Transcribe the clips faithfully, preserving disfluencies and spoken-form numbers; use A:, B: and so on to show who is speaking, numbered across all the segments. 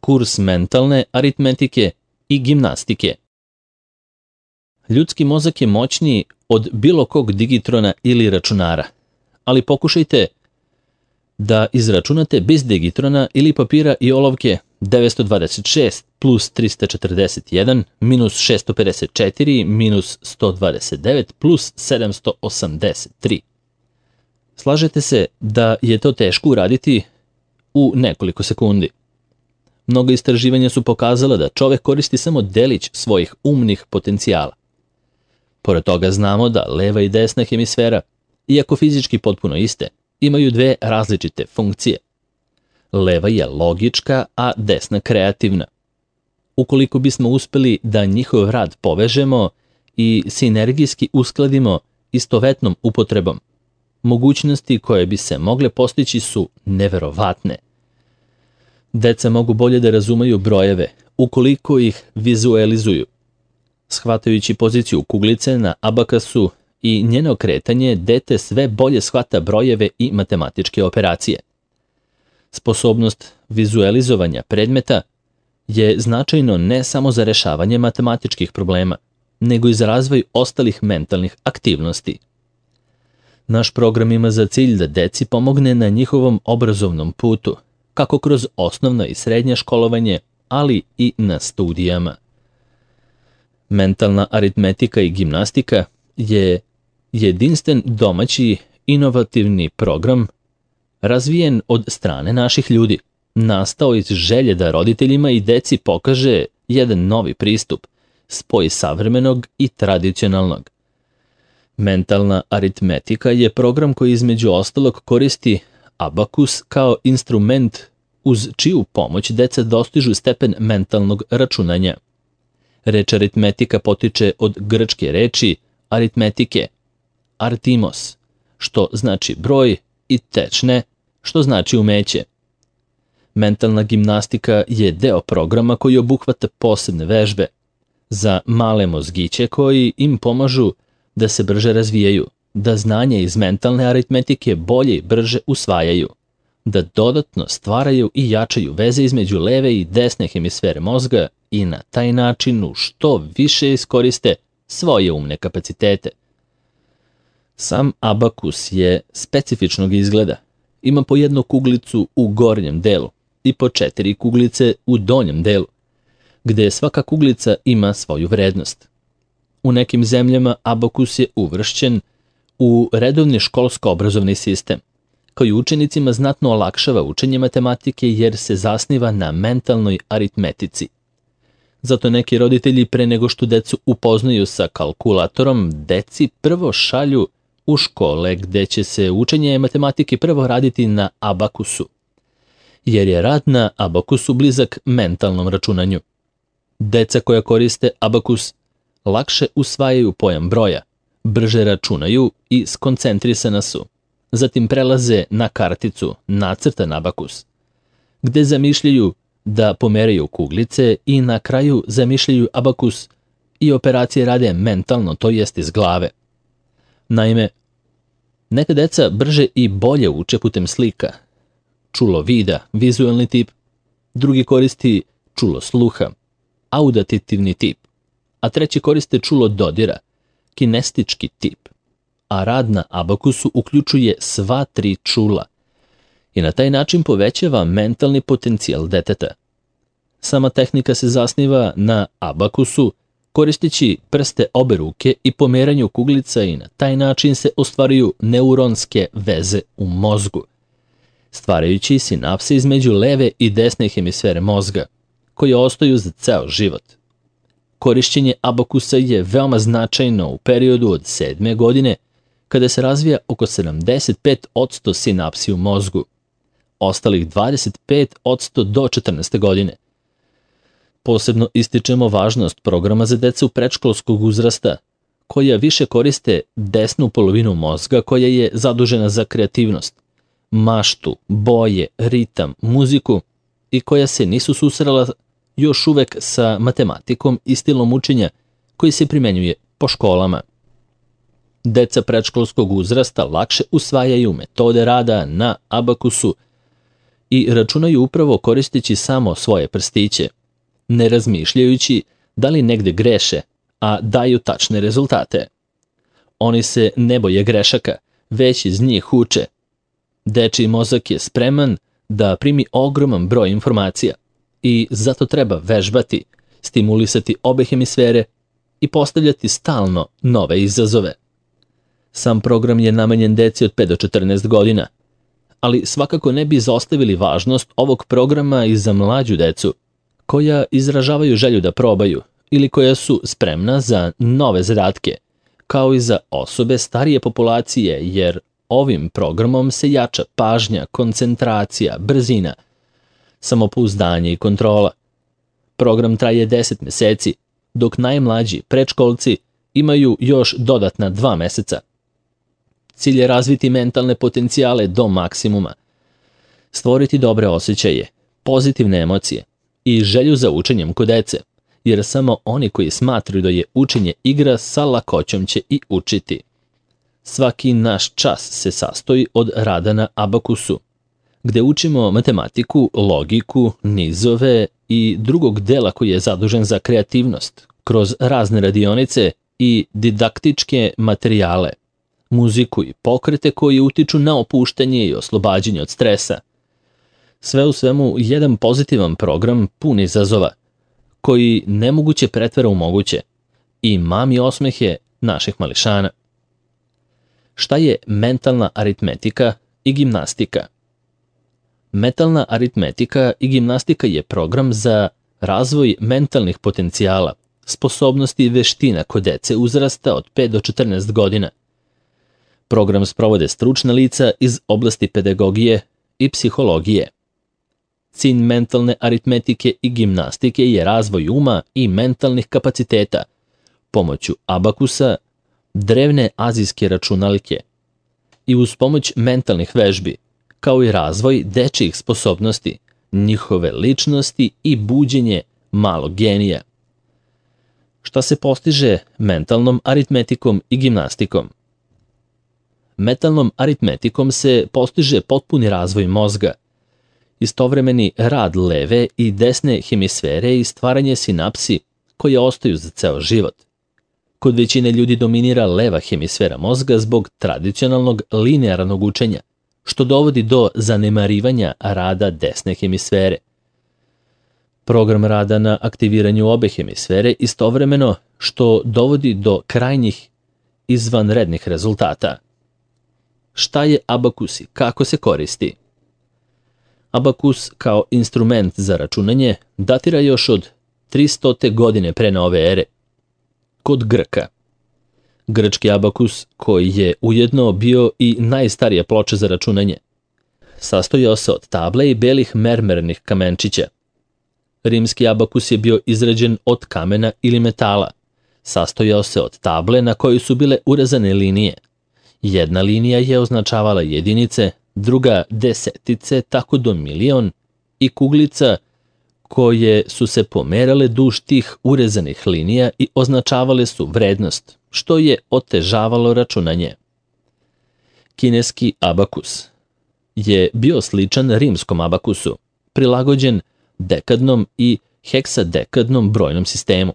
A: kurs mentalne aritmetike i gimnastike. Ljudski mozak je moćniji od bilo kog digitrona ili računara, ali pokušajte da izračunate bez digitrona ili papira i olovke devetsto dvadeset šest plus trista četrdeset jedan minus šesto pedeset četiri minus sto dvadeset devet plus sedamsto osamdeset tri. Slažete se da je to teško uraditi u nekoliko sekundi. Mnogo istraživanja su pokazala da čovek koristi samo delić svojih umnih potencijala. Pored toga znamo da leva i desna hemisfera, iako fizički potpuno iste, imaju dve različite funkcije. Leva je logička, a desna kreativna. Ukoliko bismo uspeli da njihov rad povežemo i sinergijski uskladimo istovetnom upotrebom, mogućnosti koje bi se mogle postići su neverovatne. Deca mogu bolje da razumeju brojeve ukoliko ih vizualizuju. Shvatajući poziciju kuglice na abakasu i njeno kretanje, dete sve bolje shvata brojeve i matematičke operacije. Sposobnost vizualizovanja predmeta je značajno ne samo za rešavanje matematičkih problema, nego i za razvoj ostalih mentalnih aktivnosti. Naš program ima za cilj da deci pomogne na njihovom obrazovnom putu, kako kroz osnovno i srednje školovanje, ali i na studijama. Mentalna aritmetika i gimnastika je jedinstven domaći inovativni program razvijen od strane naših ljudi, nastao iz želje da roditeljima i deci pokaže jedan novi pristup, spoj savremenog i tradicionalnog. Mentalna aritmetika je program koji između ostalog koristi abakus kao instrument uz čiju pomoć deca dostižu stepen mentalnog računanja. Reč aritmetika potiče od grčke reči aritmetike, artimos, što znači broj, i tečne, što znači umeće. Mentalna gimnastika je deo programa koji obuhvata posebne vežbe za male mozgiće koji im pomažu da se brže razvijaju, da znanje iz mentalne aritmetike bolje i brže usvajaju, da dodatno stvaraju i jačaju veze između leve i desne hemisfere mozga i na taj način u što više iskoriste svoje umne kapacitete. Sam abakus je specifičnog izgleda. Ima po jednu kuglicu u gornjem delu i po četiri kuglice u donjem delu, gde svaka kuglica ima svoju vrednost. U nekim zemljama abakus je uvršćen u redovni školsko-obrazovni sistem, koji učenicima znatno olakšava učenje matematike jer se zasniva na mentalnoj aritmetici. Zato neki roditelji pre nego što decu upoznaju sa kalkulatorom, deci prvo šalju u škole gde će se učenje matematike prvo raditi na abakusu, jer je rad na abakusu blizak mentalnom računanju. Deca koja koriste abakus lakše usvajaju pojam broja, brže računaju i skoncentrisana su. Zatim prelaze na karticu nacrtan abakus, gde zamišljaju da pomeraju kuglice i na kraju zamišljaju abakus i operacije rade mentalno, to jest iz glave. Naime, neka deca brže i bolje uče putem slika, čulo vida, vizualni tip, drugi koristi čulo sluha, auditivni tip, a treći koriste čulo dodira, kinestički tip, a rad na abakusu uključuje sva tri čula i na taj način povećava mentalni potencijal deteta. Sama tehnika se zasniva na abakusu, koristeći prste obe ruke i pomeranju kuglica i na taj način se ostvaruju neuronske veze u mozgu, stvarajući sinapse između leve i desne hemisfere mozga, koje ostaju za ceo život. Korišćenje abakusa je veoma značajno u periodu od sedme godine, kada se razvija oko sedamdeset pet posto sinapsi u mozgu, ostalih dvadeset pet posto do četrnaeste godine. Posebno ističemo važnost programa za decu predškolskog uzrasta, koja više koriste desnu polovinu mozga koja je zadužena za kreativnost, maštu, boje, ritam, muziku i koja se nisu susrela još uvek sa matematikom i stilom učenja koji se primenjuje po školama. Deca predškolskog uzrasta lakše usvajaju metode rada na abakusu i računaju upravo koristeći samo svoje prstiće, ne razmišljajući da li negde greše, a daju tačne rezultate. Oni se ne boje grešaka, već iz njih uče. Dečiji mozak je spreman da primi ogroman broj informacija i zato treba vežbati, stimulisati obe hemisfere i postavljati stalno nove izazove. Sam program je namenjen deci od pet do četrnaest godina, ali svakako ne bi izostavili važnost ovog programa i za mlađu decu, koja izražavaju želju da probaju ili koja su spremna za nove zadatke, kao i za osobe starije populacije, jer ovim programom se jača pažnja, koncentracija, brzina, samopouzdanje i kontrola. Program traje deset meseci, dok najmlađi predškolci imaju još dodatna dva meseca. Cilj je razviti mentalne potencijale do maksimuma, stvoriti dobre osjećaje, pozitivne emocije i želju za učenjem kod dece, jer samo oni koji smatraju da je učenje igra sa lakoćom će i učiti. Svaki naš čas se sastoji od rada na abakusu, gde učimo matematiku, logiku, nizove i drugog dela koji je zadužen za kreativnost, kroz razne radionice i didaktičke materijale, muziku i pokrete koji utiču na opuštanje i oslobađanje od stresa. Sve u svemu jedan pozitivan program pun izazova, koji nemoguće pretvara u moguće i mami osmehe naših mališana. Šta je mentalna aritmetika i gimnastika? Mentalna aritmetika i gimnastika je program za razvoj mentalnih potencijala, sposobnosti i veština kod dece uzrasta od pet do četrnaest godina. Program sprovode stručna lica iz oblasti pedagogije i psihologije. Cilj mentalne aritmetike i gimnastike je razvoj uma i mentalnih kapaciteta pomoću abakusa, drevne azijske računaljke i uz pomoć mentalnih vežbi, kao i razvoj dečijih sposobnosti, njihove ličnosti i buđenje malog genija. Šta se postiže mentalnom aritmetikom i gimnastikom? Mentalnom aritmetikom se postiže potpuni razvoj mozga, istovremeni rad leve i desne hemisfere i stvaranje sinapsi koje ostaju za ceo život. Kod većine ljudi dominira leva hemisfera mozga zbog tradicionalnog linearnog učenja, što dovodi do zanemarivanja rada desne hemisfere. Program rada na aktiviranju obe hemisfere istovremeno što dovodi do krajnjih izvanrednih rezultata. Šta je abakus i kako se koristi? Abakus kao instrument za računanje datira još od tristote godine pre nove ere. Kod Grka. Grčki abakus, koji je ujedno bio i najstarija ploča za računanje, sastojao se od table i belih mermernih kamenčića. Rimski abakus je bio izrađen od kamena ili metala. Sastojao se od table na kojoj su bile urezane linije. Jedna linija je označavala jedinice, druga desetice, tako do milion, i kuglica koje su se pomerale duž tih urezanih linija i označavale su vrednost, što je otežavalo računanje. Kineski abakus je bio sličan rimskom abakusu, prilagođen dekadnom i heksadekadnom brojnom sistemu.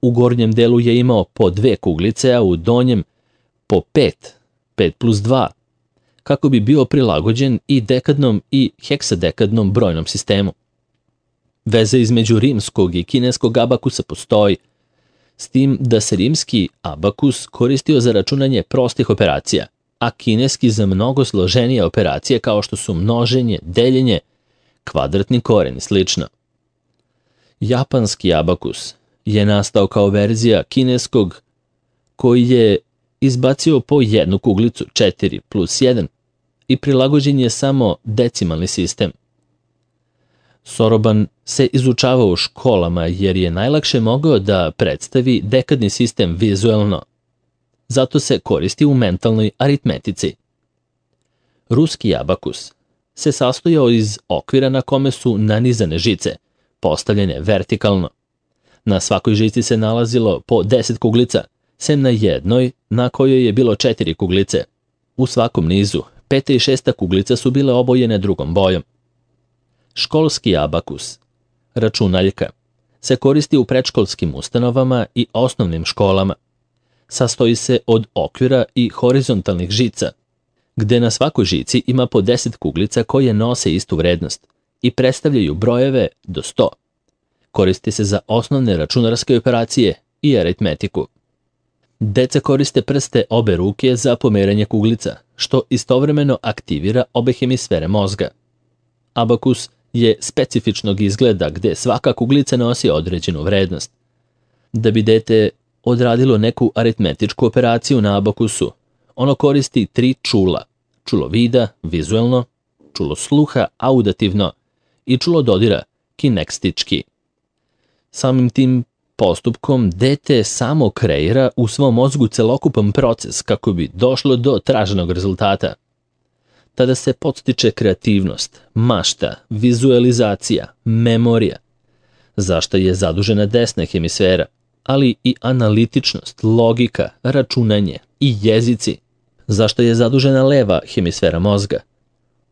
A: U gornjem delu je imao po dve kuglice, a u donjem po pet, pet plus dva, kako bi bio prilagođen i dekadnom i heksadekadnom brojnom sistemu. Veza između rimskog i kineskog abakusa postoji, s tim da se rimski abakus koristio za računanje prostih operacija, a kineski za mnogo složenije operacije kao što su množenje, deljenje, kvadratni koren i slično. Japanski abakus je nastao kao verzija kineskog koji je izbacio po jednu kuglicu četiri plus jedan i prilagođen je samo decimalni sistem. Soroban se izučavao u školama jer je najlakše mogao da predstavi dekadni sistem vizuelno. Zato se koristi u mentalnoj aritmetici. Ruski abakus se sastojao iz okvira na kome su nanizane žice, postavljene vertikalno. Na svakoj žici se nalazilo po deset kuglica, sem na jednoj na kojoj je bilo četiri kuglice. U svakom nizu, peta i šesta kuglica su bile obojene drugom bojom. Školski abakus, računaljka, se koristi u predškolskim ustanovama i osnovnim školama. Sastoji se od okvira i horizontalnih žica, gde na svakoj žici ima po deset kuglica koje nose istu vrednost i predstavljaju brojeve do sto. Koristi se za osnovne računarske operacije i aritmetiku. Deca koriste prste obe ruke za pomeranje kuglica, što istovremeno aktivira obe hemisfere mozga. Abakus je specifičnog izgleda gde svaka kuglica nosi određenu vrednost. Da bi dete odradilo neku aritmetičku operaciju na abakusu, ono koristi tri čula: čulo vida, vizuelno, čulo sluha, audativno i čulo dodira, kinekstički. Samim tim postupkom dete samo kreira u svom mozgu celokupan proces kako bi došlo do traženog rezultata. Tada se podstiče kreativnost, mašta, vizualizacija, memorija, za što je zadužena desna hemisfera, ali i analitičnost, logika, računanje i jezici, za što je zadužena leva hemisfera mozga.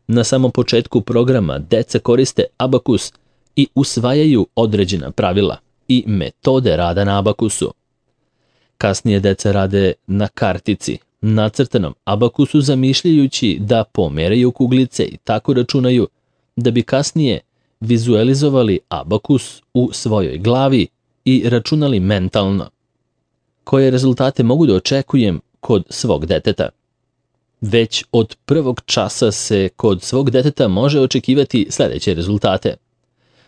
A: Na samom početku programa deca koriste abakus i usvajaju određena pravila i metode rada na abakusu. Kasnije deca rade na kartici, nacrtanom abakusu, zamišljajući da pomeraju kuglice i tako računaju, da bi kasnije vizualizovali abakus u svojoj glavi i računali mentalno. Koje rezultate mogu da očekujem kod svog deteta? Već od prvog časa se kod svog deteta može očekivati sledeće rezultate: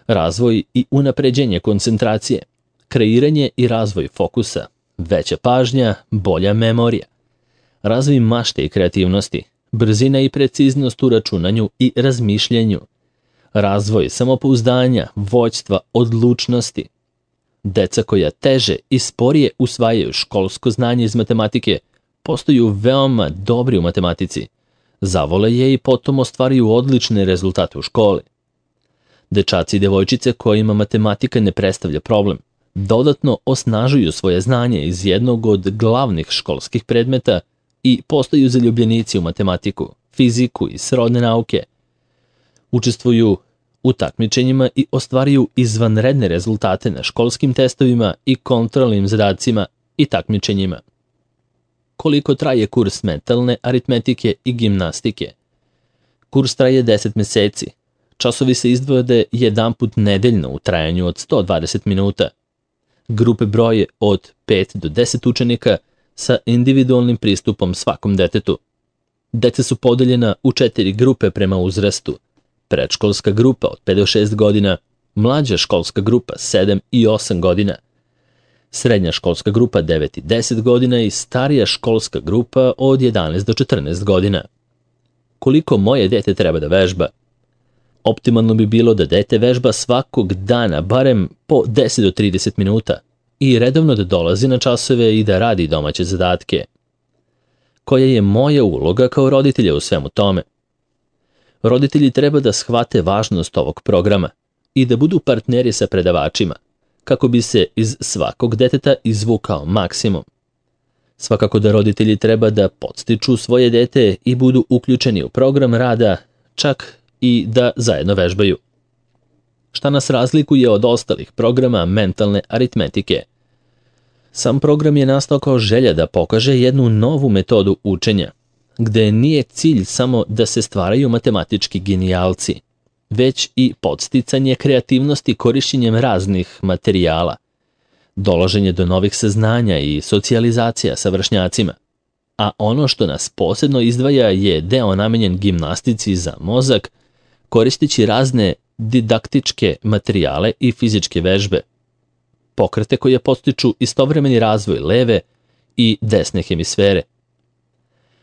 A: razvoj i unapređenje koncentracije, kreiranje i razvoj fokusa, veća pažnja, bolja memorija, razvoj mašte i kreativnosti, brzina i preciznost u računanju i razmišljanju, razvoj samopouzdanja, vođstva, odlučnosti. Deca koja teže i sporije usvajaju školsko znanje iz matematike postaju veoma dobri u matematici, zavole je i potom ostvaruju odlične rezultate u školi. Dečaci i devojčice kojima matematika ne predstavlja problem dodatno osnažuju svoje znanje iz jednog od glavnih školskih predmeta i postaju zaljubljenici u matematiku, fiziku i srodne nauke. Učestvuju u takmičenjima i ostvaruju izvanredne rezultate na školskim testovima i kontrolnim zadacima i takmičenjima. Koliko traje kurs mentalne aritmetike i gimnastike? Kurs traje deset meseci. Časovi se izdvode jedanput nedeljno u trajanju od sto dvadeset minuta. Grupe broje od pet do deset učenika sa individualnim pristupom svakom detetu. Deca su podeljena u četiri grupe prema uzrastu: predškolska grupa od pet do šest godina, mlađa školska grupa sedam i osam godina, srednja školska grupa devet i deset godina i starija školska grupa od jedanaest do četrnaest godina. Koliko moje dete treba da vežba? Optimalno bi bilo da dete vežba svakog dana barem po deset do trideset minuta i redovno da dolazi na časove i da radi domaće zadatke. Koja je moja uloga kao roditelja u svemu tome? Roditelji treba da shvate važnost ovog programa i da budu partneri sa predavačima, kako bi se iz svakog deteta izvukao maksimum. Svakako da roditelji treba da podstiču svoje dete i budu uključeni u program rada, čak i da zajedno vežbaju. Šta nas razlikuje od ostalih programa mentalne aritmetike? Sam program je nastao kao želja da pokaže jednu novu metodu učenja, gde nije cilj samo da se stvaraju matematički genijalci, već i podsticanje kreativnosti korišćenjem raznih materijala, dolaženje do novih saznanja i socijalizacija sa vršnjacima. A ono što nas posebno izdvaja je deo namenjen gimnastici za mozak, koristeći razne didaktičke materijale i fizičke vežbe, pokrete koje podstiču istovremeni razvoj leve i desne hemisfere.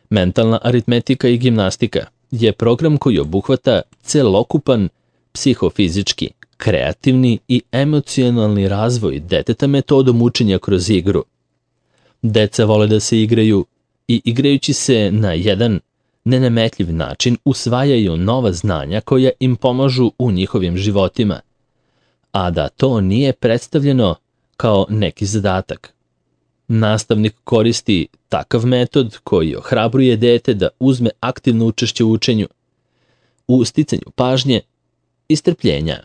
A: Mentalna aritmetika i gimnastika je program koji obuhvata celokupan psihofizički, kreativni i emocionalni razvoj deteta metodom učenja kroz igru. Deca vole da se igraju i igrajući se na jedan nenametljiv način usvajaju nova znanja koja im pomažu u njihovim životima, a da to nije predstavljeno kao neki zadatak. Nastavnik koristi takav metod koji ohrabruje dete da uzme aktivno učešće u učenju, u sticanju pažnje i strpljenja.